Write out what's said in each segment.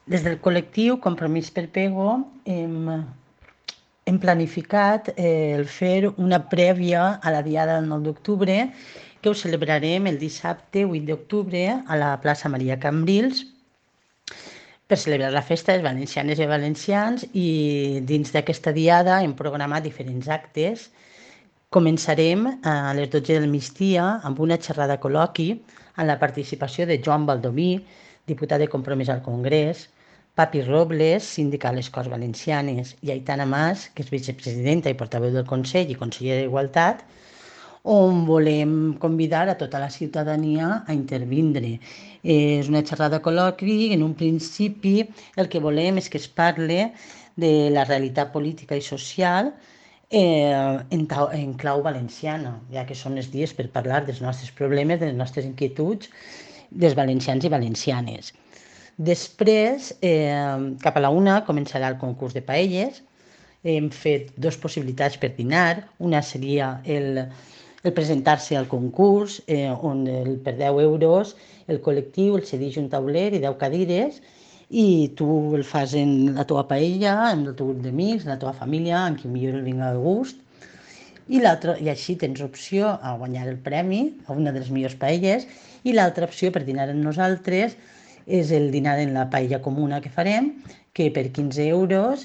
Des del col·lectiu Compromís per Pego hem planificat el fer una prèvia a la Diada del 9 d'octubre, que ho celebrarem el dissabte 8 d'octubre a la plaça Maria Cambrils, per celebrar la festa dels valencianes i valencians, i dins d'aquesta diada hem programat diferents actes. Començarem a les 12 del migdia amb una xerrada col·loqui amb la participació de Joan Baldoví, diputat de Compromís al Congrés, Papi Robles, síndica a les Corts Valencianes, i Aitana Mas, que és vicepresidenta i portaveu del Consell i consellera d'Igualtat, on volem convidar a tota la ciutadania a intervindre. És una xerrada col·loqui. En un principi el que volem és que es parle de la realitat política i social en clau valenciana, ja que són els dies per parlar dels nostres problemes, de les nostres inquietuds, dels valencians i valencianes. Després, cap a la una, començarà el concurs de paelles. Hem fet dues possibilitats per dinar. Una seria el presentar-se al concurs, on per 10 euros el col·lectiu el cedeix un tauler i 10 cadires, i tu el fas en la teva paella, amb el teu grup d'amics, la teva família, amb qui millor el vinga de gust. I així tens opció a guanyar el premi, a una de les millors paelles, i l'altra opció per dinar amb nosaltres és el dinar en la paella comuna que farem, que per 15 euros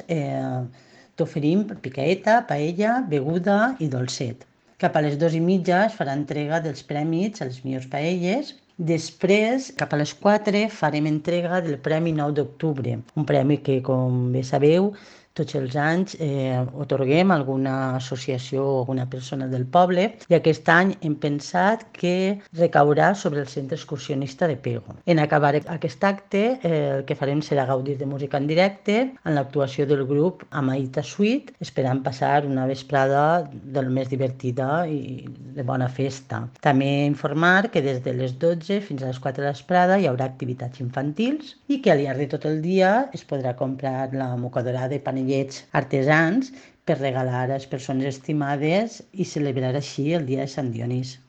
t'oferim picaeta, paella, beguda i dolcet. Cap a les 2:30 es farà entrega dels prèmits a les millors paelles. Després, cap a les 4, farem entrega del Premi 9 d'octubre, un premi que, com bé sabeu, tots els anys atorguem a alguna associació o alguna persona del poble, i aquest any hem pensat que recaurà sobre el centre excursionista de Pego. En acabar aquest acte, el que farem serà gaudir de música en directe en l'actuació del grup Amaïta Suite, esperant passar una vesprada del més divertida i de bona festa. També informar que des de les 12 fins a les 4 de la vesprada hi haurà activitats infantils, i que al llarg de tot el dia es podrà comprar la mocadora de panellets artesans per regalar a les persones estimades i celebrar així el dia de Sant Dionís.